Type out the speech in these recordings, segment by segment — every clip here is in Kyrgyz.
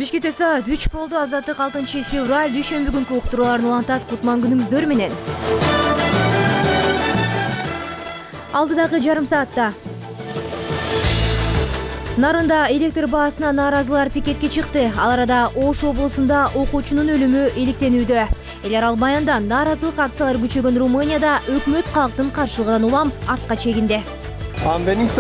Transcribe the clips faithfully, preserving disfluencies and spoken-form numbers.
Бишкекте саат үч болду. Азаттык алтынчы февраль дүйшөмбү күнкү уктурууларын улантат. Кутман күнүңүздөр менен. Алдыдагы жарым саатта Нарында электр баасына нааразылар пикетке чыкты. Ал арада Ош облусунда окуучунун өлүмү иликтенүүдө. Эл аралык баянда нааразылык акциялары күчөгөн Румынияда өкмөт калктын каршылыгынан улам артка чегинди. Биз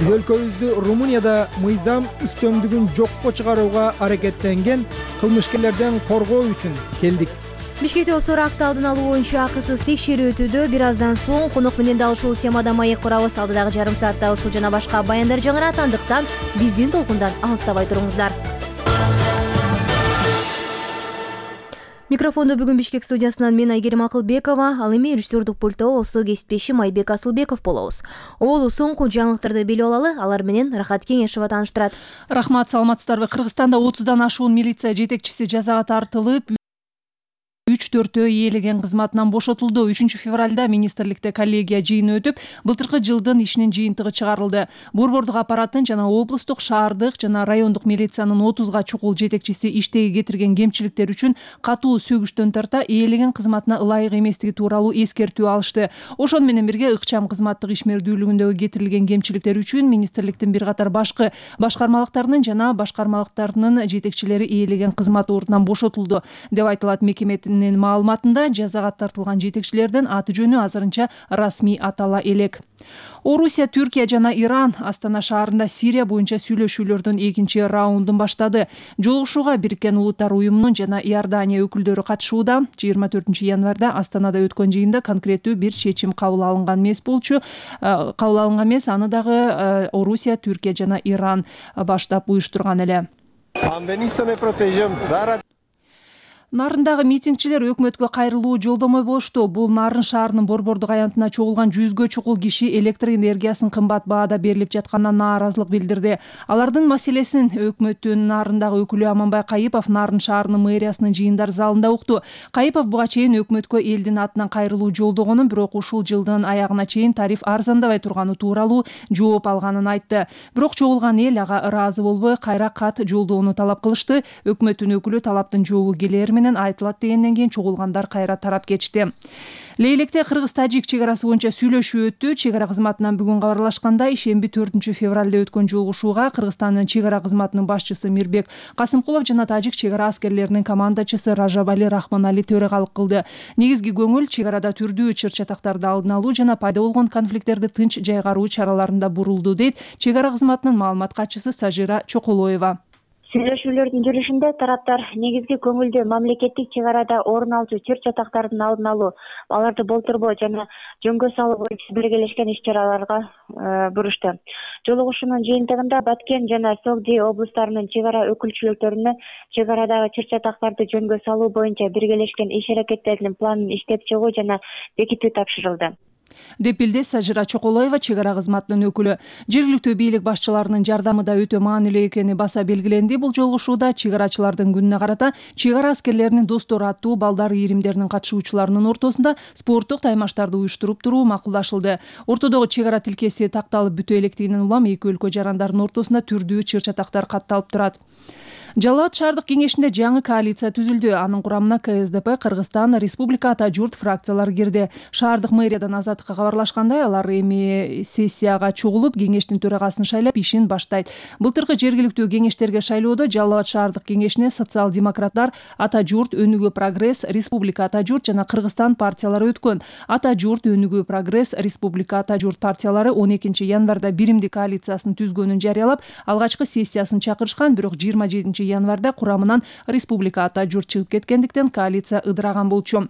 өлкөбүздү Румынияда мыйзам үстөмдүгүн жокко чыгарууга аракеттенген кылмышкерлерден коргоо үчүн келдик. Бишкекте осор акты алдын алуу боюнча акысыз текшерүү өтүүдө. Бир аздан соң конок менен да ушул темада маек курабыз. Алдыдагы жарым саатта ушул жана башка баяндар жаңыратандыктан биздин толкундан алыстабай туруңуздар. Микрофондо бүгүн Бишкек студиясынан мен Айгерим Акылбекова, ал эми режиссердук пульто осо кесиптешим Айбек Асылбеков болобуз. Олу соңку жаңылыктарды билип алалы, алар менен Рахат Кеңешова тааныштырат. Рахмат, саламатсыздарбы? Кыргызстанда отуздан ашуун милиция жетекчиси жазага тартылып, үч төртөө ээлеген кызматынан бошотулду. үчүнчү февралда министрликте коллегия жыйыны өтүп, былтыркы жылдын ишинин жыйынтыгы чыгарылды. Борбордук аппараттын жана облустук, шаардык жана райондук милициянын отузга чукул жетекчиси иштеги кетирген кемчиликтер үчүн катуу сөгүштөн тарта ээлеген кызматына ылайык эместиги тууралуу эскертүү алышты. Ошону менен бирге ыкчам кызматтык ишмердүүлүгүндөгү кетирилген кемчиликтер үчүн министрликтин бир катар башкы башкармалыктарынын жана башкармалыктарынын жетекчилери ээлеген кызмат ордунан бошотулду деп айтылат. Мекеменин маалыматында жазага тартылган жетекчилердин аты жөнү азырынча расмий атала элек. Орусия, Түркия жана Иран Астана шаарында Сирия боюнча сүйлөшүүлөрдүн экинчи раундун баштады. Жолугушууга Бириккен Улуттар уюмунун жана Иордания өкүлдөрү катышууда. жыйырма төртүнчү январда Астанада өткөн жыйында конкреттүү бир чечим кабыл алынган эмес болчу. Кабыл алынган эмес, аны дагы Орусия, Түркия жана Иран баштап уюштурган эле. Нарындагы митингчилер өкмөткө кайрылуу жолдомой болушту. Бул Нарын шаарынын борбордук аянтына чогулган жүзгө чукул киши электр энергиясын кымбат баада берилип жатканына нааразылык билдирди. Алардын маселесин өкмөттүн Нарындагы өкүлү Аманбай Кайыпов Нарын шаарынын мэриясынын жыйындар залында укту. Кайыпов буга чейин өкмөткө элдин атынан кайрылуу жолдогонун, бирок ушул жылдын аягына чейин тариф арзандабай турганы тууралуу жооп алганын айтты. Бирок чогулган эл ага ыраазы болбой, кайра кат жолдоону талап кылышты. Өкмөттүн өкүлү талаптын жообу келер менен айтылат дегенден кийин чогулгандар кайра тарап кетишти. Лейлекте Кыргыз-Тажик чек арасы боюнча сүйлөшүү өттү. Чек ара кызматынан бүгүн кабарлашкандай, ишемби төртүнчү февралда өткөн жолугушууга Кыргызстандын чек ара кызматынын башчысы Мирбек Касымкулов жана тажик чек ара аскерлеринин командачысы Ражабали Рахманали төрагалык кылды. Негизги көңүл чек арада түрдүү чыр-чатактарды алдын алуу жана пайда болгон конфликттерди тынч жайгаруу чараларында бурулду, дейт чек ара кызматынын маалымат катчысы Сажира Чоколоева. Сүйлөшүүлөрдүн жүрүшүндө тараптар негизги көңүлдү мамлекеттик чек арада орун алчу чыр-чатактардын алдын алуу, аларды болтурбоо жана жөнгө салуу боюнча биргелешкен иш-чараларга бурушту. Жолугушуунун жыйынтыгында Баткен жана Согди облустарынын чек ара өкүлчүлүктөрүнө чек арадагы чыр-чатактарды жөнгө салуу боюнча биргелешкен иш-аракеттеринин планын иштеп чыгуу жана бекитүү тапшырылды, деп билди Сажира Чоколоева, чек ара кызматынын өкүлү. Жергиликтүү бийлик башчыларынын жардамы да өтө маанилүү экени баса белгиленди. Бул жолугушууда чек арачылардын күнүнө карата чек ара аскерлеринин достору аттуу балдар ийримдеринин катышуучуларынын ортосунда спорттук таймаштарды уюштуруп туруу макулдашылды. Ортодогу чек ара тилкеси такталып бүтө электигинен улам эки өлкө жарандардын ортосунда түрдүү чыр-чатактар катталып турат. Жалал Абад шаардык кеңешинде жаңы коалиция түзүлдү. Анын курамына Ка Эс Д П, Кыргызстан, Республика Ата Журт фракциялары кирди. Шаардык мэриядан Азаттыкка кабарлашкандай, алар эми сессияга чогулуп, кеңештин төрагасын шайлап, ишин баштайт. Былтыркы жергиликтүү кеңештерге шайлоодо Жалал Абад шаардык кеңешине социал-демократтар, Ата Журт, Өнүгүү Прогресс, Республика Ата Журт жана Кыргызстан партиялары өткөн. Ата Журт, Өнүгүү Прогресс, Республика Ата Журт партиялары он экинчи январда биримдик коалициясын түзгөнүн жарыялап, алгачкы сессиясын чакырышкан, бирок жыйырма жетинчи январда курамынан Республика Ата Журт чыгып кеткендиктен коалиция ыдыраган болчу.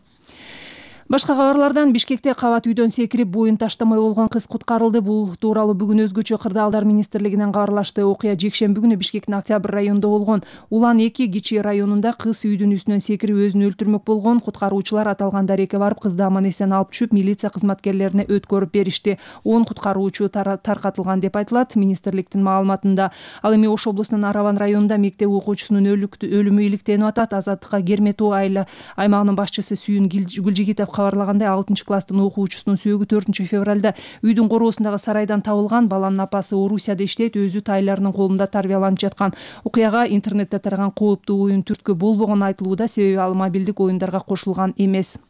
Башка кабарлардан Бишкекте кабат үйдөн секирип боюн таштамай болгон кыз куткарылды. Бул тууралуу бүгүн өзгөчө кырдаалдар министрлигинен кабарлашты. Окуя жекшемби күнү Бишкектин Октябрь районунда болгон. Улан эки Кичи районунда кыз үйдүн үстүнөн секирип өзүн өлтүрмөк болгон. Куткаруучулар аталган дарекке барып, кызды аман эсен алып түшүп, милиция кызматкерлерине өткөрүп беришти. он куткаруучу таркатылган деп айтылат министрликтин маалыматында. Ал эми Ош облусунун Араван районунда мектеп окуучусунун өлүмү иликтенип атат. Азаттыкка Кермету айла аймагынын башчысы Сүйүн Гүлжигитов кабарлагандай алтынчы класстын окуучусунун сөөгү төртүнчү февралда үйдүн короосундагы сарайдан табылган. Баланын апасы Орусияда иштейт, өзү тайларынын колунда тарбияланып жаткан. Окуяга интернетте тараган кооптуу оюн түрткү болбогону айтылууда, себеби ал мобилдик оюндарга кошулган эмес.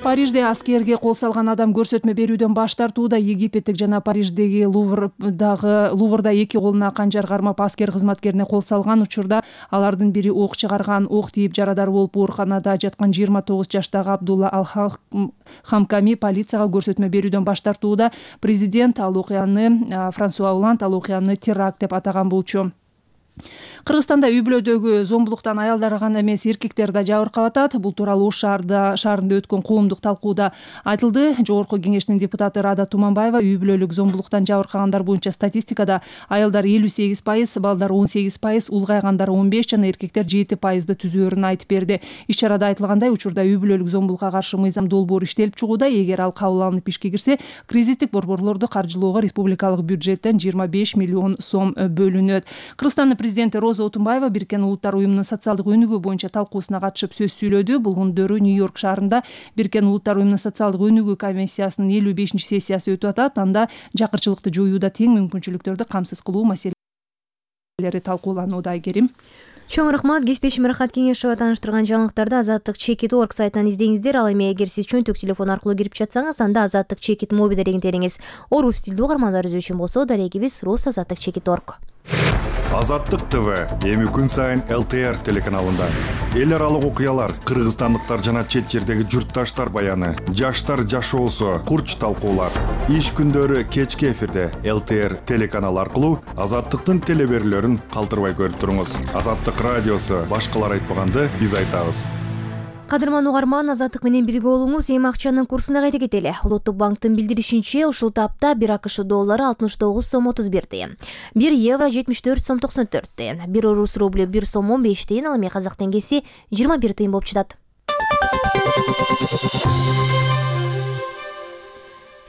Парижде аскерге кол салган адам көрсөтмө берүүдөн баш тартууда. Египеттик жана Париждеги Луврдагы Луврда эки колуна канжар кармап аскер кызматкерине кол салган учурда алардын бири ок чыгарган. Ок тийип жарадар болуп ооруканада жаткан жыйырма тогуз жаштагы Абдулла Ал-Хамками полицияга көрсөтмө берүүдөн баш тартууда. Президент ал окуяны Франсуа Оланд ал окуяны теракт деп атаган болчу. Кыргызстанда үй-бүлөдөгү зомбулуктан аялдар гана эмес, эркектер да жабыркап атат. Бул тууралуу Ош шаарында шаарында өткөн коомдук талкууда айтылды. Жогорку кеңештин депутаты Рада Туманбаева үй-бүлөлүк зомбулуктан жабыркагандар боюнча статистикада аялдар элүү сегиз пайыз, балдар он сегиз пайыз, улгайгандар он беш жана эркектер жети пайызды түзөөрүн айтып берди. Иш-чарада айтылгандай, учурда үй-бүлөлүк зомбулукка каршы мыйзам долбоору иштелип чыгууда. Эгер ал кабыл алынып ишке кирсе, кризистик борборлорду каржылоого республикалык бюджеттен жыйырма беш миллион сом бөлүнөт. Кыргызстандын президенти Роза Отунбаева Бириккен Улуттар уюмунун социалдык өнүгүү боюнча талкуусуна катышып сөз сүйлөдү. Бул күндөрү Нью-Йорк шаарында Бириккен Улуттар уюмунун социалдык өнүгүү комиссиясынын элүү бешинчи сессиясы өтүп атат. Анда жакырчылыкты жоюуда тең мүмкүнчүлүктөрдү камсыз кылуу маселелери талкууланууда. Айгерим. Чоң рахмат. Кесиптешим Рахат Кеңешова тааныштырган жаңылыктарды азаттык чекит точка орг сайтынан издеңиздер. Ал эми эгер сиз чөнтөк телефон аркылуу кирип жатсаңыз, анда азаттык чекит моби дарегин териңиз. Орус тилдүү угармандарыбыз үчүн болсо, дарегибиз рус азаттык чекит точка орг. Азаттык ТВ эми күн сайын эл тэ эр телеканалында эл аралык окуялар, кыргызстандыктар жана чет жердеги журтташтар баяны, жаштар жашоосу, курч талкуулар. Иш күндөрү кечки эфирде эл тэ эр телеканалы аркылуу Азаттыктын телеберүүлөрүн калтырбай көрүп туруңуз. Азаттык радиосу башкалар айтпаганды биз айтабыз. Кадырман угарман, Азаттык менен бирге болуңуз. Эми акчанын курсуна кайта кетели. Улуттук банктын билдиришинче, ушул тапта бир акш доллары алтымыш тогуз сом отуз бир тыйын, бир евро жетимиш төрт сом токсон төрт тыйын, бир орус рублю бир сом он беш тыйын, ал эми казак теңгеси жыйырма бир тыйын болуп жатат.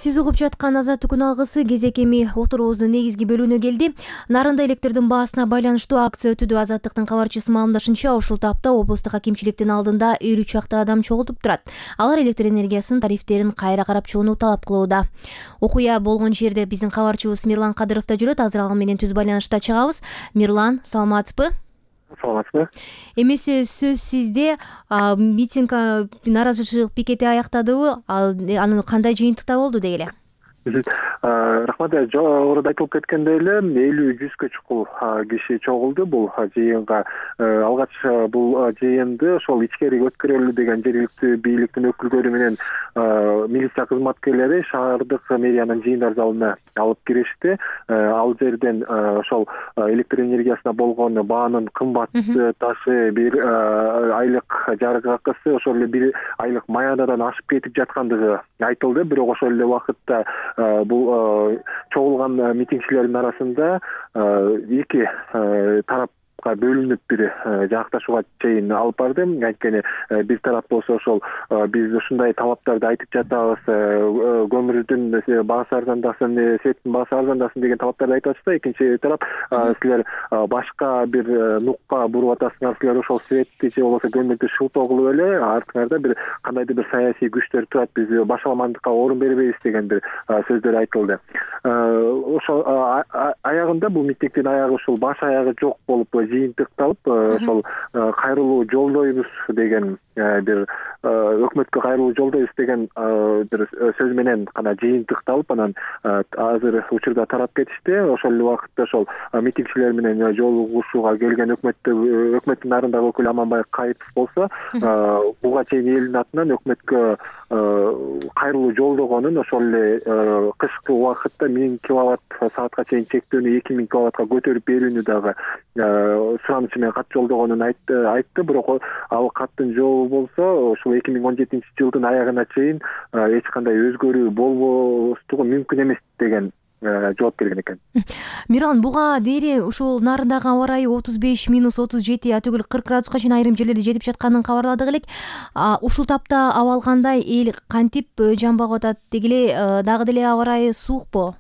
Сиз угуп жаткан Азаттык күн алгысы кезек эми отурубуздун негизги бөлүгүнө келди. Нарында электрдин баасына байланыштуу акция өтүүдө. Азаттыктын кабарчысы маалымдашынча, ушул тапта облустук акимчиликтин алдында элүү чакты адам чогултуп турат. Алар электр энергиясынын тарифтерин кайра карап чыгууну талап кылууда. Окуя болгон жерде биздин кабарчыбыз Мирлан Кадыров да жүрөт. Азыр ал менен түз байланышта чыгабыз. Мирлан, саламатсызбы? Саламатсызбы? Эмесе сөз сизде. Митинг, нааразычылык пикети аяктадыбы? Анын кандай жыйынтыкта болду дегеле? Рахмат. Жогоруда айтылып кеткендей эле элүү жүзгө чукул киши чогулду бул жыйынга. Алгач бул жыйынды ошол ичкери өткөрөлү деген жергиликтүү бийликтин өкүлдөрү менен милиция кызматкерлери шаардык мэриянын жыйындар залына алып киришти. Ал жерден ошол электр энергиясына болгон баанын кымбатташы, бир айлык жарык акысы, ошол эле бир айлык маянадан ашып кетип жаткандыгы айтылды. Бирок ошол эле убакытта бул чогулган митингчилердин арасында эки тарап бөлүнүп бир жакташууга чейин алып барды. Анткени бир тарап болсо ошол биз ушундай талаптарды айтып жатабыз, көмүрдүн баасы арзандасын, светтин баасы арзандасын деген талаптарды айтып атышса, экинчи тарап силер башка бир нукка буруп атасыңар, силер ошол светти же болбосо көмүрдү шылтоо кылып эле артыңарда бир кандайдыр бир саясий күчтөр турат, биз башаламандыкка орун бербейбиз деген бир сөздөр айтылды. Ошол аягында бул митингдин аягы ушул баш аягы жок болуп жыйынтыкталып, ошол кайрылуу жолдойбуз деген бир өкмөткө кайрылуу жолдойбуз деген бир сөз менен гана жыйынтыкталып, анан азыр учурда тарап кетишти. Ошол эле убакытта ошол митингчилер менен жолугушууга келген өкмөттө өкмөттүн нарындагы өкүлү Аманбай Кайыпов болсо, буга чейин элдин атынан өкмөткө кайрылуу жолдогонун, ошол эле кышкы убакытта миң киловатт саатка чейин чектөөнү эки миң киловаттка көтөрүп берүүнү дагы суранычы менен кат жолдогонун айтты. Бирок ал каттын жообу болсо ушул эки миң он жетинчи жылдын аягына чейин эч кандай өзгөрүү болбостугу мүмкүн эмес деген жооп берген экен. Миран, буга дейри ушул нарындагы аба ырайы отуз беш минус отуз жети, атүгүл кырк градуска чейин айрым жерлерде жетип жатканын кабарладык элек. Ушул тапта абал кандай, эл кантип жан багып атат? Дегеле дагы деле аба ырайы суукпу?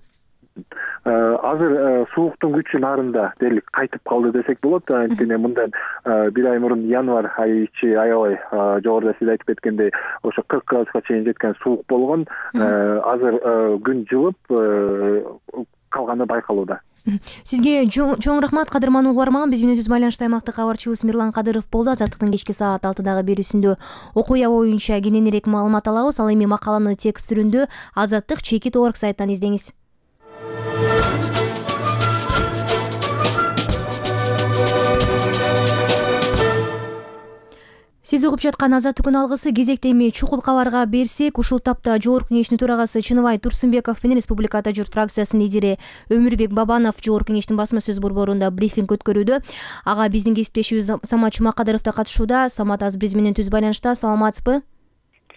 азыр сууктун күчү нарында дээрлик кайтып калды десек болот. Анткени мындан бир ай мурун январь айы ичи аябай жогоруда сиз айтып кеткендей ошо кырк градуска чейин жеткен суук болгон. Азыр күн жылып калганы байкалууда. Сизге чоң рахмат, кадырман угарман. Биз менен түз байланышта аймактык кабарчыбыз Мирлан Кадыров болду. Азаттыктын кечки саат алтыдагы берүүсүндө окуя боюнча кененирээк маалымат алабыз. Ал эми макаланы текст түрүндө азаттык чекит точка орг сайттан издеңиз. Сиз угуп жаткан Азаттыктын алгысы кезекте эми чукул кабарга берсек, ушул тапта Жогорку кеңештин төрагасы Чыныбай Турсунбеков менен Республикада журт фракциясынын лидери Өмүрбек Бабанов Жогорку кеңештин басма сөз борборунда брифинг өткөрүүдө. Ага биздин кесиптешибиз Самат Чумакадыров да катышууда. Самат, азыр биз менен түз байланышта. Саламатсызбы?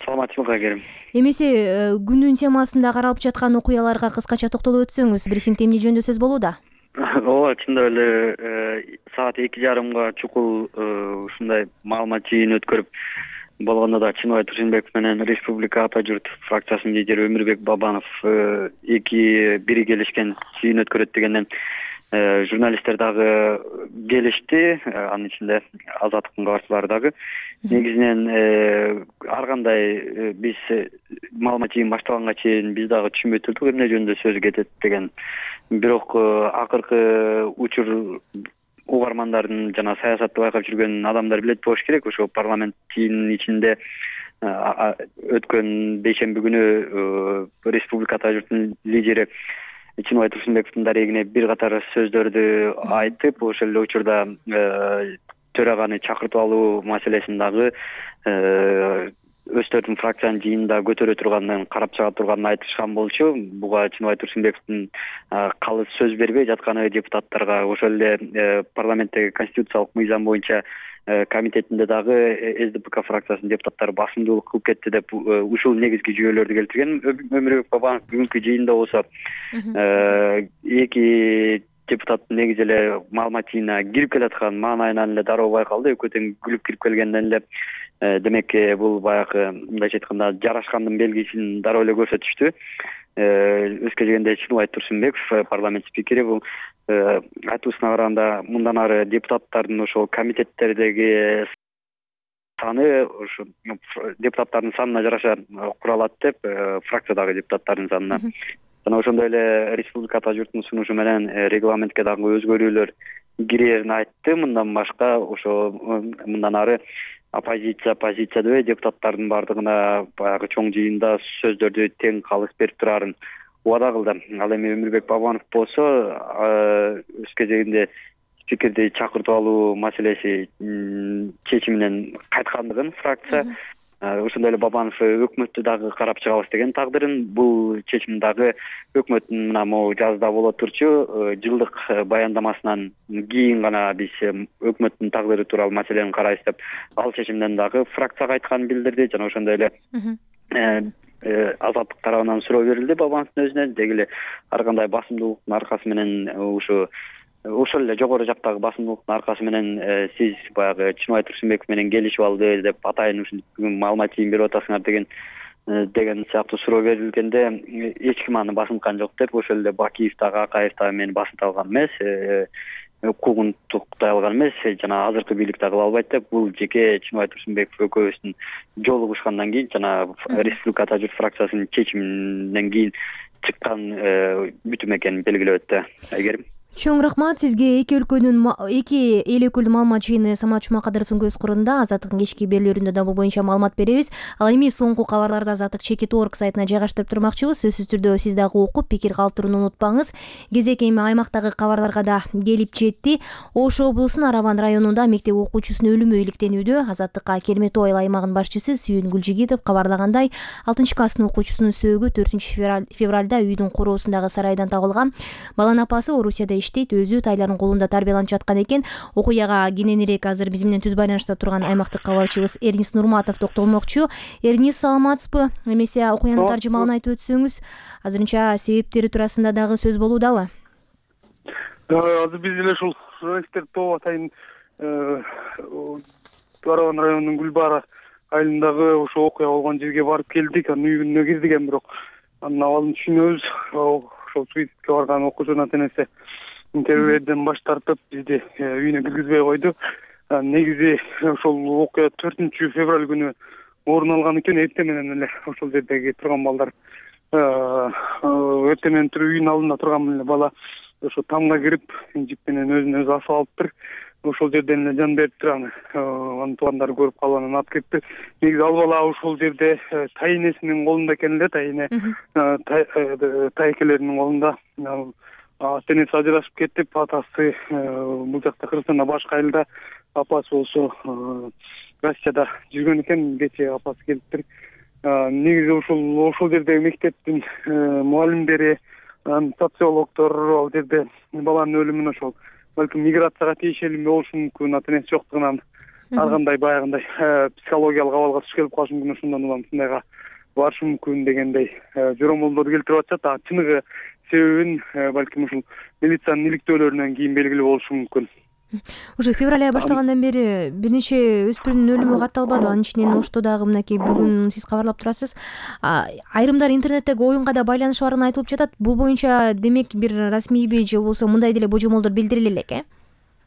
Саламатсызбы, Кагерим. Эмесе күндүн темасында каралып жаткан окуяларга кыскача токтолуп өтсөңүз, брифингде эмне жөнүндө сөз болууда? Ооба, чындап эле саат эки жарымга чукул ушундай маалымат жыйын өткөрүп болгондо да Чыныбай Турсунбеков менен Республика Ата журт фракциясынын лидери Өмүрбек Бабанов эки бири келишкен жыйын өткөрөт дегенден журналисттер дагы келишти, анын ичинде Азаттыктын кабарчылары дагы. Негизинен ар кандай биз маалымат жыйын башталганга чейин биз дагы түшүнбөй турдук эмне жөнүндө сөз кетет деген. Бирок акыркы учур угармандардын жана саясатты байкап жүргөн адамдар билет болуш керек. Ошо парламенттин ичинде өткөн бейшемби күнү Республика Ата журтунун лидери Чыныбай Турсунбековдун дарегине бир катар сөздөрдү айтып, ошол эле учурда төраганы чакыртып алуу маселесин дагы өздөрүнүн фракциянын жыйынында көтөрө турганын, карап чыга турганын айтышкан болчу. Буга Чыныбай Турсунбековдун калыс сөз бербей жатканы депутаттарга, ошол эле парламенттеги конституциялык мыйзам боюнча комитетинде дагы эс дэ пэ ка фракциясынын депутаттары басымдуулук кылып кетти деп ушул негизги жүйөлөрдү келтирген. Өмүрбек Бабанов бүгүнкү жыйында болсо эки депутаттын негизи эле маалымат жыйынына кирип келаткан маанайынан эле дароо байкалды. Экөө тең күлүп кирип келгенден эле демек бул баягы мындайча айтканда жарашкандын белгисин дароо эле көрсөтүштү. Өзгө дегенде Чыныбай Турсунбеков парламент спикери бул айтуусуна караганда мындан ары депутаттардын ошол комитеттердеги саны ошо депутаттардын санына жараша куралат деп, фракциядагы депутаттардын санына. Жана ошондой эле Республика Ата журтунун сунушу менен регламентке дагы өзгөрүүлөр кирерин айтты. Мындан башка ошо мындан ары оппозиция, позиция дебей депутаттардын бардыгына баягы чоң жыйында сөздөрдү тең калыс берип турарын убада кылды. Ал эми Өмүрбек Бабанов болсо өз кезегинде спикерди чакыртып алуу маселеси чечиминен кайткандыгын фракция, ошондой эле Бабанов өкмөттү дагы карап чыгабыз деген тагдырын. Бул чечим дагы өкмөттүн мына могу жазда боло турчу жылдык баяндамасынан кийин гана биз өкмөттүн тагдыры тууралуу маселени карайбыз деп ал чечимден дагы фракция кайтканын билдирди. Жана ошондой эле Азаттык тарабынан суроо берилди Бабановдун өзүнө. Деги эле ар кандай басымдуулуктун аркасы менен ушу ошол эле жогору жактагы басымдуулуктун аркасы менен сиз баягы Чыныбай Турсунбеков менен келишип алды деп атайын ушинтип маалымат жыйын берип атасыңар деген деген сыяктуу суроо берилгенде эч ким аны басынткан жок деп, ошол эле Бакиев дагы Акаев дагы мени басынта алган эмес, укугун туктай алган эмес, жана азыркы бийлик да кыла албайт деп, бул жеке Чыныбай Турсунбеков экөөбүздүн жолугушкандан кийин жана Республика Ата журт фракциясынын чечиминен кийин чыккан бүтүм экенин белгилеп өттү. Айгерим. Чоң рахмат сизге. Эки өлкөнүн эки эл өкүлдүн маалымат жыйыны Самат Чумакадыровдун көз кырында Азаттыктын кечки берүүлөрүндө да бул боюнча маалымат беребиз. Ал эми соңку кабарларды Азаттык чекит точка орг сайтына жайгаштырып турмакчыбыз. Сөзсүз түрдө сиз дагы окуп пикир калтырууну унутпаңыз. Кезек эми аймактагы кабарларга да келип жетти. Ош облусунун Араван районунда мектеп окуучусунун өлүмү иликтенүүдө. Азаттыкка Кермету айыл аймагынын башчысы Сүйүн Гүлжигитов кабарлагандай, алтынчы класстын окуучусунун сөөгү төртүнчү февралда үйдүн короосундагы сарайдан табылган. Баланын апасы Орусияда иштейт, өзү тайлардын колунда тарбияланып жаткан экен. Окуяга кененирээк азыр биз менен түз байланышта турган аймактык кабарчыбыз Эрнис Нурматов токтолмокчу. Эрнис, саламатсызбы? Эмесе окуянын таржымалын айтып өтсөңүз, азырынча себептери туурасында дагы сөз болуудабы? Азыр биз эле ушул журналисттер тобу атайын Араван районунун Гүлбара айылындагы ошо окуя болгон жерге барып келдик. Анын үйүнө кирдик, эми бирок анын абалын түшүнөбүз. Ошо ошол суицидке барган окуучунун ата энеси интервьюден баш тартып бизди үйүнө киргизбей койду. Негизи ошол окуя төртүнчү февраль күнү орун алган экен. Эртең менен эле ошол жердеги турган балдар эртең менен туруп үйүнүн алдында турган эле бала ошо тамга кирип жип менен өзүн өзү асып алыптыр. Ошол жерден эле жан бериптир. Аны анын туугандары көрүп калып анан алып кетти. Негизи ал бала ошол жерде тайенесинин колунда экен эле. Тайене тайекелеринин колунда. Ата энеси ажырашып кетип, атасы бул жакта Кыргызстанда башка айылда, апасы болсо Россияда жүргөн экен. Кечээ апасы келиптир. Негизи ошол ошол жердеги мектептин мугалимдери, социологдор ал жерде баланын өлүмүн ошол балким миграцияга тийишелүү болушу мүмкүн, ата энеси жоктугунан ар кандай баягындай психологиялык абалга туш келип калышы мүмкүн, ошондон улам ушундайга барышы мүмкүн дегендей жоромолдорду келтирип атышат. А чыныгы себебин балким ушул милициянын иликтөөлөрүнөн кийин белгилүү болушу мүмкүн. Уже февраль ай баштагандан бери бир нече өспүрүмдүн өлүмү катталбады. Анын ичинен Ошто дагы мынакей бүгүн сиз кабарлап турасыз. Айрымдар интернеттеги оюнга да байланышы барын айтылып жатат. Бул боюнча демек бир расмийби же болбосо мындай деле божомолдор билдириле элек, э?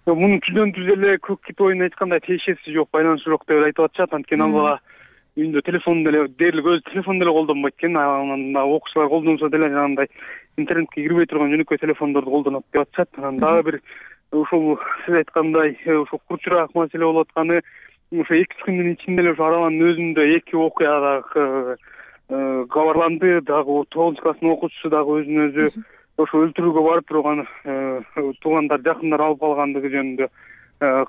Мунун түздөн түз эле көк кит оюнуна эч кандай тиешеси жок, байланышы жок деп айтып атышат. Анткени ал бала үйүндө телефон деле дээрлик өзү телефон деле колдонбойт экен. Анан окуучулар колдонсо деле жанагындай интернетке кирбей турган жөнөкөй телефондорду колдонот деп атышат. Анан дагы бир ошол сиз айткандай ошо курчураак маселе болуп атканы ошо эки үч күндүн ичинде эле ошо Араванын өзүндө эки окуя дагы кабарланды. Дагы тогузунчу класстын окуучусу дагы өзүн өзү ошо өлтүрүүгө барып бирок аны туугандар, жакындар алып калгандыгы жөнүндө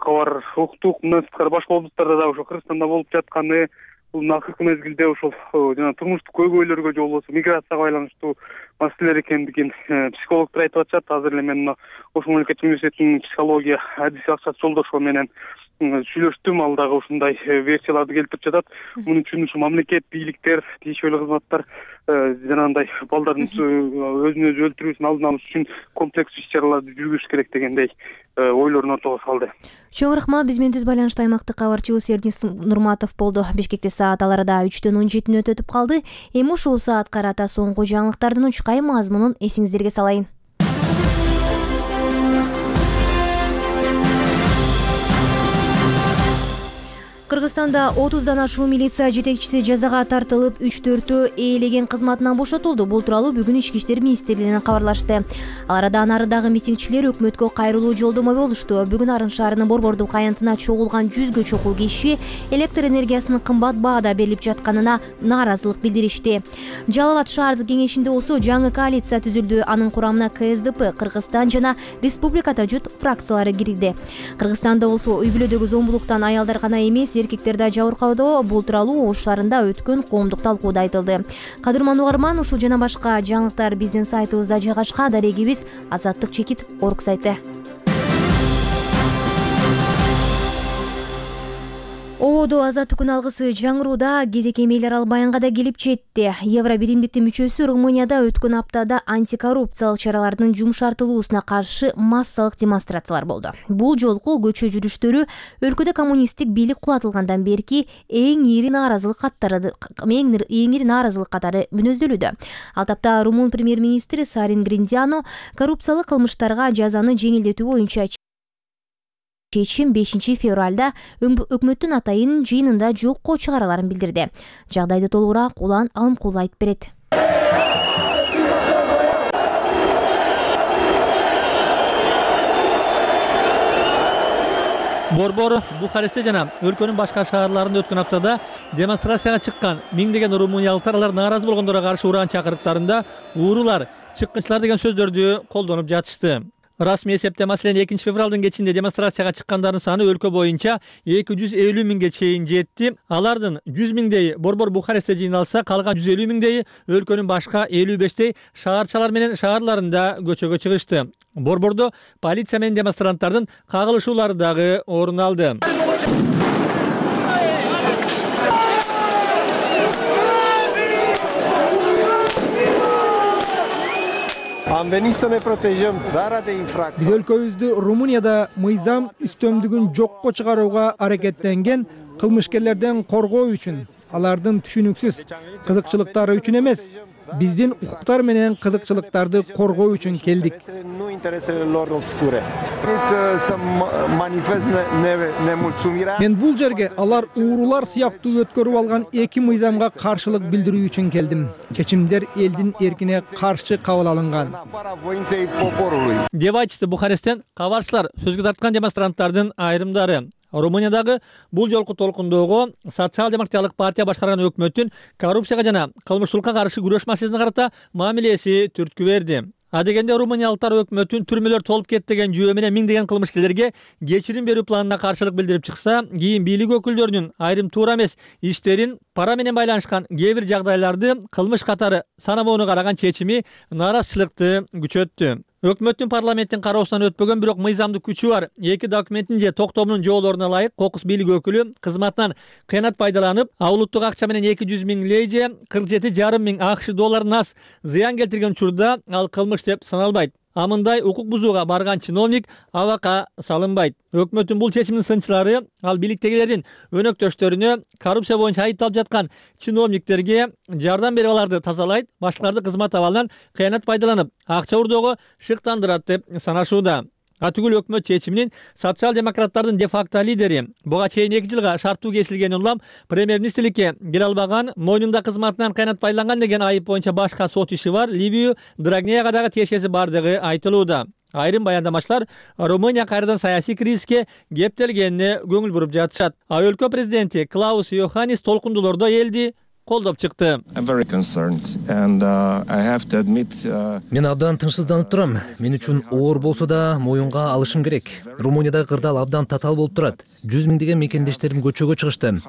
кабар уктук. Мындан сырткары башка облустарда дагы ошо Кыргызстанда болуп жатканы, бул акыркы мезгилде ошол жана турмуштук көйгөйлөргө же болбосо миграцияга байланыштуу маселелер экендигин психологдор айтып атышат. Азыр эле мен Ошол мамлекеттик университетинин психология адиси Аксат Жолдошева менен сүйлөштүм. Ал дагы ушундай версияларды келтирип жатат. Мунун үчүн ушу мамлекет, бийликтер, тийиштүү кызматтар жанагындай балдардын өзүн өзү өлтүрүүсүн алдын алыш үчүн комплекс иш-чараларды жүргүзүш керек дегендей ойлорун ортого салды. Чоң рахмат. Биз менен түз байланышта аймактык кабарчыбыз Эрдинис Нурматов болду. Бишкекте саат ал арада үчтөн он жетини өтүп калды. Эми ушул саатка карата соңку жаңылыктардын учкай мазмунун эсиңиздерге салайын. Кыргызстанда отуздан ашуун милиция жетекчиси жазага тартылып, үч төртөө ээлеген кызматынан бошотулду. Бул тууралуу бүгүн Ички иштер министрлигинен кабарлашты. Ал арада нарыдагы митингчилер өкмөткө кайрылуу жолдомо болушту. Бүгүн Арын шаарынын Борбордук аянтына чогулган жүзгө чокул киши электр энергиясынын кымбат баада берилип жатканына нааразылык билдиришти. Жалал Абад шаардык кеңешинде болсо жаңы коалиция түзүлдү. Анын курамына Ка Эс Д П, Кыргызстан жана Республикада жут фракциялары кирди. Кыргызстанда болсо үй бүлөдөгү зомбулуктан аялдар гана эмес, эркектер да жабыркаудо. Бул тууралуу Ош шаарында өткөн коомдук талкууда айтылды. Кадырман угарман, ушул жана башка жаңылыктар биздин сайтыбызда жайгашкан. Дарегибиз азаттык чекит орг сайты. Ободо азаттык күн алгысы жаңырууда кезек эмейлер Албаянга да келип жетти. Евро биримдиктин мүчөсү Румынияда өткөн аптада антикоррупциялык чаралардын жумшартылуусуна каршы массалык демонстрациялар болду. Бул жолку көчө жүрүштөрү өлкөдө коммунисттик бийлик кулатылгандан берки эң ири нааразылык каттары эң ири нааразылык катары мүнөздөлүүдө. Ал тапта Румун премьер-министри Сарин Гриндиано коррупциялык кылмыштарга жазаны жеңилдетүү боюнча чечим бешинчи февралда өкмөттүн атайын жыйынында жокко чыгараларын билдирди. Жагдайды толугураак Улан Алымкул айтып берет. Борбор, Бухарестте жана өлкөнүн башка шаарларында өткөн аптада демонстрацияга чыккан миңдеген румыниялыктар алар нааразы болгондорго каршы уран чакырыктарында уурулар, чыккынчылар деген сөздөрдү колдонуп жатышты. Расмий эсепте маселен экинчи февралдын кечинде демонстрацияга чыккандардын саны өлкө боюнча эки жүз элүү миңге чейин жетти. Алардын жүз миңдейи Борбор Бухарестте жыйналса, калган жүз элүү миңдейи өлкөнүн башка элүү бештей шаарчалар менен шаарларында көчөгө чыгышты. Борбордо полиция менен демонстранттардын кагылышуулары дагы орун алды. Биз өлкөбүздү Румынияда мыйзам үстөмдүгүн жокко чыгарууга аракеттенген кылмышкерлерден коргоо үчүн, алардын түшүнүксүз кызыкчылыктары үчүн эмес, биздин укуктар менен кызыкчылыктарды коргоо үчүн келдик. Мен бул жерге алар уурулар сыяктуу өткөрүп алган эки мыйзамга каршылык билдирүү үчүн келдим. Чечимдер элдин эркине каршы кабыл алынган деп айтышты Бухаресттен кабарчылар сөзгө тарткан демонстранттардын айрымдары. Румыниядагы бул жолку толкундоого социал-демократиялык партия башкарган өкмөттүн коррупцияга жана кылмыштуулукка каршы күрөш маселесине карата мамилеси түрткү берди. Адегенде румыниялыктар өкмөттүн түрмөлөр толуп кетти деген жүйө менен миңдеген кылмышкерлерге кечирим берүү планына каршылык билдирип чыкса, кийин бийлик өкүлдөрүнүн айрым туура эмес иштерин пара менен байланышкан кээ бир жагдайларды кылмыш катары санабоону караган чечими нааразычылыкты күчөттү. Өкмөттүн парламенттин кароосунан өтпөгөн бирок мыйзамдык күчү бар эки документтин же токтомунун жоолоруна ылайык кокус бийлик өкүлү кызматынан кыянат пайдаланып, улуттук акча менен эки жүз миң лей же кырк жети жарым миң акш долларынан аз зыян келтирген учурда ал кылмыш деп саналбайт. А мындай укук бузууга барган чиновник абакка салынбайт. Өкмөттүн бул чечиминин сынчылары ал бийликтегилердин өнөктөштөрүнө коррупция боюнча айыпталып жаткан чиновниктерге жардам берип аларды тазалайт, башкаларды кызмат абалынан кыянат пайдаланып, акча урдоого шыктандырат деп санашууда. А түгүл өкмөт чечиминин социал-демократтардын де-факто лидери буга чейин эки жылга шарттуу кесилгенин улам премьер-министрликке келе албаган, мойнунда кызматынан кыянат пайдаланган деген айып боюнча башка сот иши бар, Либию Драгнеяга дагы тиешеси бардыгы айтылууда. Айрым баяндамачылар Румыния кайрадан саясий кризиске кептелгенине көңүл буруп жатышат. А өлкө президенти Клаус Йоханнис толкундуулордо элди колдоп чыкты. Мен абдан тынчсызданып турам. Мен үчүн оор болсо да моюнга алышым керек. Румыниядагы кырдаал абдан татаал болуп турат. жүз миңдеген мекендештерим көчөгө чыгышты.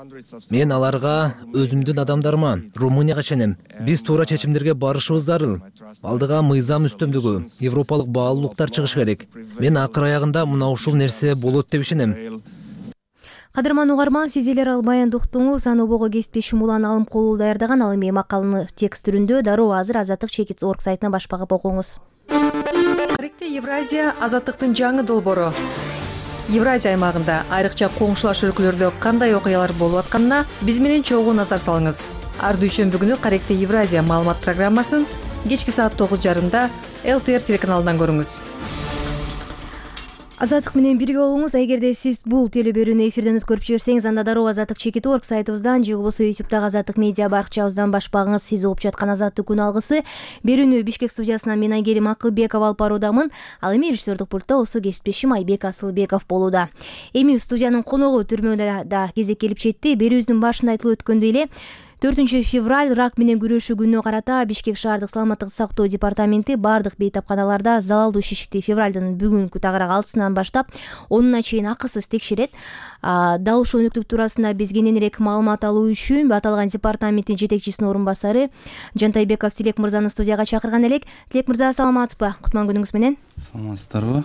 Мен аларга, өзүмдүн адамдарыма, Румынияга ишенем. Биз туура чечимдерге барышыбыз зарыл. Алдыга мыйзам үстөмдүгү, европалык баалуулуктар чыгыш керек. Мен акыр аягында мына ушул нерсе болот деп ишенем. Кадырман угарман, сиз элер ал баянды уктуңуз. Аны обого кеспи шумулан алым колу даярдаган. Ал эми макаланы текст түрүндө дароо азыр азаттык чекит орг сайтына баш багып окуңуз. Тарикте Евразия азаттыктын жаңы долбоору. Евразия аймагында айрыкча коңшулаш өлкөлөрдө кандай окуялар болуп атканына биз менен чогуу назар салыңыз. Ар дүйшөмбү күнү Тарикте Евразия маалымат программасын кечки саат тогуз жарымда эл тэ эр телеканалынан көрүңүз. Азаттык менен бирге болуңуз. Эгерде сиз бул телеберүүнү эфирден өткөрүп жиберсеңиз, анда дароо азаттык чекит орг сайтыбыздан же болбосо ютубтагы азаттык медиа баракчабыздан баш багыңыз. Сиз угуп жаткан азаттык күн алгысы. Берүүнү Бишкек студиясынан мен Айгерим Акылбекова алып баруудамын. Ал эми режиссердик пультта осо кесиптешим Айбек Асылбеков болууда. Эми студиянын коногу түрмөдө да кезек келип жетти. Берүүбүздүн башында айтылып өткөндөй эле төртүнчү февраль рак менен күрөшүү күнүнө карата Бишкек шаардык саламаттык сактоо департаменти бардык бейтапканаларда залалдуу шишикти февралдын бүгүнкү тагырак алтысынан баштап онуна чейин акысыз текшерет. Дал ушул өнүктүк туурасында биз кененирээк маалымат алуу үчүн аталган департаменттин жетекчисинин орун басары Жантайбеков Тилек мырзаны студияга чакырган элек. Тилек мырза, саламатсызбы? Кутман күнүңүз менен. Саламатсыздарбы?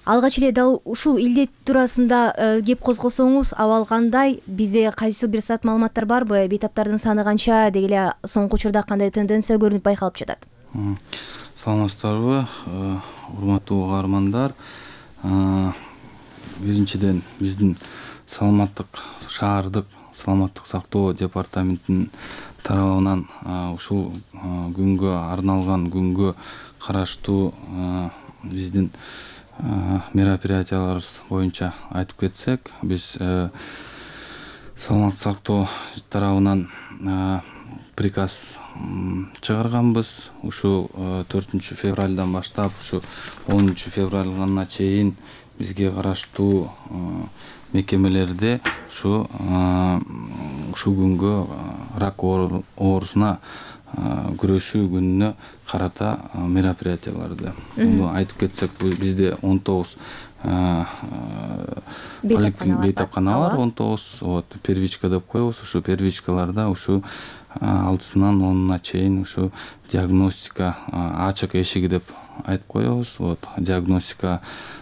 Алгач эле дал ушул илдет туурасында кеп козгосоңуз, абал кандай? Бизде кайсы бир саат маалыматтар барбы? Бейтаптардын саны канча? Деги эле соңку учурда кандай тенденция көрүнүп байкалып жатат? Саламатсыздарбы, урматтуу угармандар. Биринчиден биздин саламаттык шаардык саламаттык сактоо департаментинин тарабынан ушул күнгө арналган күнгө караштуу биздин мероприятияларыбыз боюнча айтып кетсек, биз саламаттык сактоо тарабынан приказ чыгарганбыз. Ушул төртүнчү февралдан баштап ушу онунчу февралга чейин бизге караштуу мекемелерде ушу ушул күнгө рак оорусуна күрөшүү күнүнө карата мероприятияларды айтып кетсек, бизде он тогуз бейтапкана бар, он тогуз первичка деп коебуз. Ушу первичкаларда ушу алтысынан онуна чейин ушу диагностика ачык эшиги деп айтып коебуз. Вот диагностика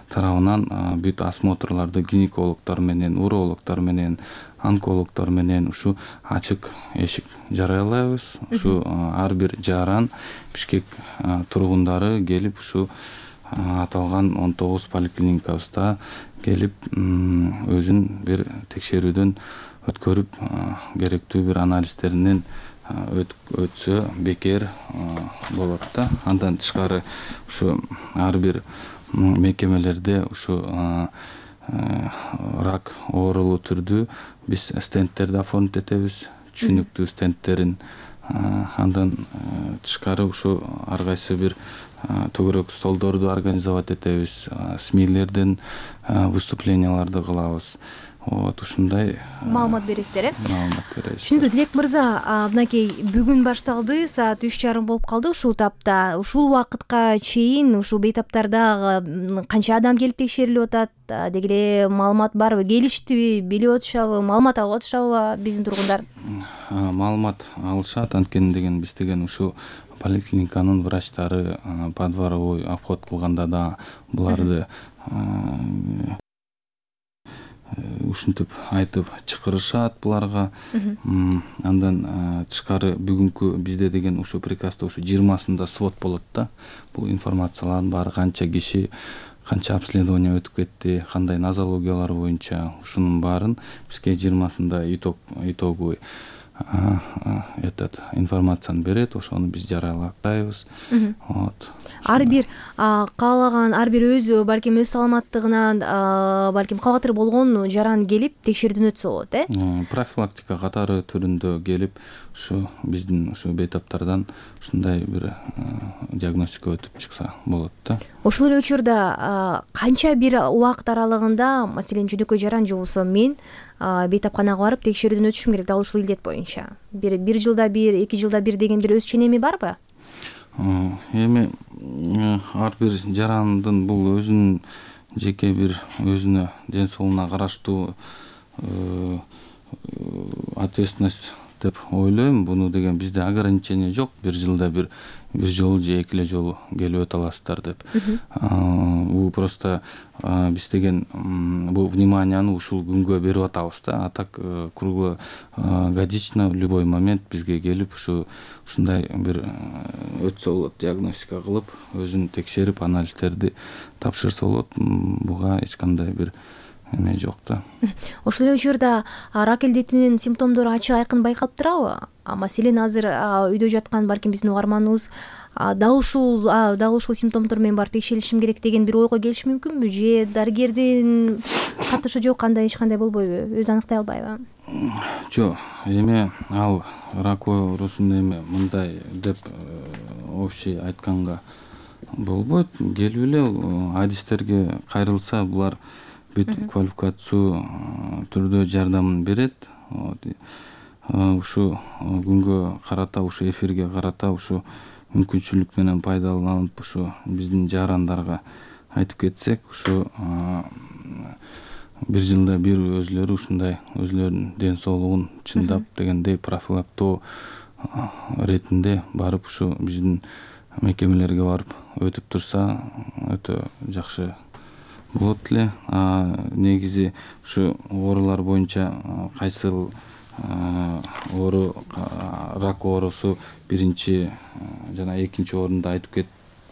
тарабынан бүт осмотрларды гинекологдор менен, урологдор менен, онкологдор менен ушу ачык эшик жарыялайбыз. Ушу ар бир жаран Бишкек тургундары келип ушу аталган он тогуз поликлиникабызда келип өзүн бир текшерүүдөн өткөрүп керектүү бир анализдеринен өтсө бекер болот да. Андан тышкары ушу ар бир мекемелерде ушу рак оорулуу түрдүү биз стендтерди оформить этебиз, түшүнүктүү стендтерин. Андан тышкары ушу ар кайсы бир төгөрөк столдорду организовать этебиз, СМИлерден выступленияларды кылабыз. Вот ушундай маалымат бересиздер, э? Маалымат беребиз. Түшүндү. Тилек мырза, мынакей бүгүн башталды, саат үч жарым болуп калды ушул тапта. Ушул убакытка чейин ушул бейтаптарда канча адам келип текшерилип атат? Деги эле маалымат барбы? Келиштиби? Билип атышабы? Маалымат алып атышабы биздин тургундар? Маалымат алышат, анткени деген биз деген ушул поликлиниканын врачтары подворовой обход кылганда да буларды ушинтип айтып чакырышат буларга. Андан тышкары бүгүнкү бизде деген ушу приказда ушу жыйырмасында свод болот да. Бул информациялардын баары канча киши, канча обследование өтүп кетти, кандай нозологиялар боюнча ушунун баарын бизге жыйырмасында итог итоговый этот информацияны берет, ошону биз жарыялайбыз. Вот. Ар бир каалаган, ар бир өзү балким өз саламаттыгынан балким кабатыр болгон жаран келип текшерүүдөн өтсө болот, э? Профилактика катары түрүндө келип ушу биздин ушу бейтаптардан ушундай бир диагностика өтүп чыкса болот да. Ошол эле учурда канча бир убакыт аралыгында, маселен жөнөкөй жаран же болбосо мен бейтапканага барып текшерүүдөн өтүшүм керек дал ушул илдет боюнча? Бир бир жылда бир, эки жылда бир деген бир өз ченеми барбы? Эми ар бир жарандын бул өзүнүн жеке бир өзүнө ден соолугуна караштуу ответственность деп ойлойм. Буну деген бизде ограничение жок. Бир жылда бир бир жолу же эки эле жолу келип өтө аласыздар деп. Бул просто биз деген бул вниманияны ушул күнгө берип атабыз да. А так круглогодично в любой момент бизге келип ушу ушундай бир өтсө болот, диагностика кылып, өзүн текшерип, анализдерди тапшырса болот. Буга эч кандай бир эме жок да. Ошол эле учурда рак илдетинин симптомдору ачык айкын байкалып турабы? Маселен азыр үйдө жаткан балким биздин угарманыбыз дал ушул дал ушул симптомдор менен барып текшерилишим керек деген бир ойго келиши мүмкүнбү? Же дарыгердин катышы жок, андай эч кандай болбойбу? Өзү аныктай албайбы? Жок, эми ал рак оорусун эми мындай деп общий айтканга болбойт. Келип эле адистерге кайрылса, булар бүт квалификациялуу түрдө жардамын берет. Ушу күнгө карата, ушу эфирге карата ушу мүмкүнчүлүк менен пайдаланып ушу биздин жарандарга айтып кетсек, ушу бир жылда бир өзүлөрү ушундай өзүлөрүнүн ден соолугун чындап дегендей профилактоо иретинде барып ушу биздин мекемелерге барып өтүп турса өтө жакшы болот эле. Негизи ушу оорулар боюнча кайсыл оору, рак оорусу биринчи жана экинчи орунда айтып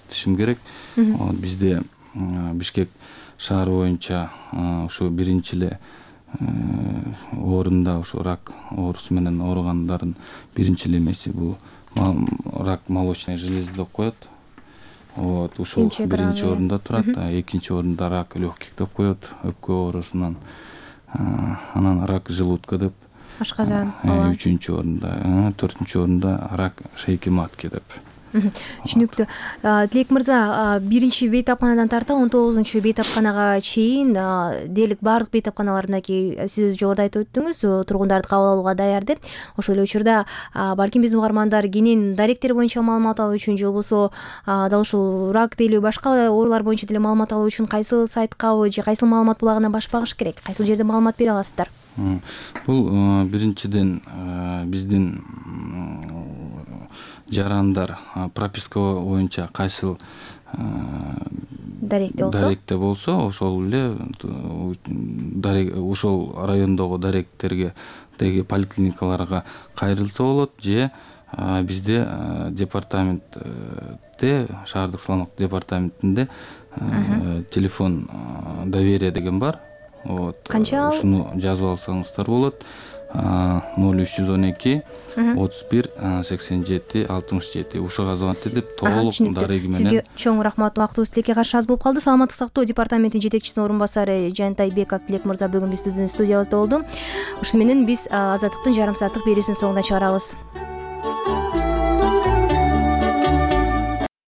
кетишим керек. Бизде Бишкек шаары боюнча ушу биринчи эле орунда ушу рак оорусу менен ооругандардын биринчи эле эмеси бул рак молочной железы деп коет. Вот, ушул биринчи орунда турат, экинчи орунда рак легких деп коет, өпкө оорусунан. Анан рак желудка деп, ашказан. Үчүнчү орунда, төртүнчү орунда рак шейки матки деп. Түшүнүктүү. Тилек мырза, биринчи бейтапканадан тарта он тогузунчу бейтапканага чейин дээрлик баардык бейтапканаларындагы сиз өз жогоруда айтып өттүңүз, тургундарды кабыл алууга даяр деп. Ошол эле учурда балким биздин угармандар кенен даректер боюнча маалымат алуу үчүн же болбосо дал ушул рак деле башка оорулар боюнча деле маалымат алуу үчүн кайсыл сайткабы же кайсыл маалымат булагына баш багыш керек? Кайсыл жерде маалымат бере аласыздар? Бул биринчиден биздин жарандар прописка боюнча кайсыл даректе болсо, ошол эле ошол райондогу даректерге деги поликлиникаларга кайрылса болот, же бизде департаментте, шаардык саламаттык департаментинде телефон доверия деген бар. Вот. Канча ал? Ушуну жазып алсаңыздар болот. ноль үч жүз он эки отуз бир сексен жети алтымыш жети ушуга звонить этип толук дареги менен. Сизге чоң рахмат. Убактыбыз тилекке каршы аз болуп калды. Саламаттык сактоо департаментинин жетекчисинин орун басары Жантайбеков Тилек мырза бүгүн биздин студиябызда болду. Ушуну менен биз Азаттыктын жарым сааттык берүүсүнүн соңуна чыгарабыз.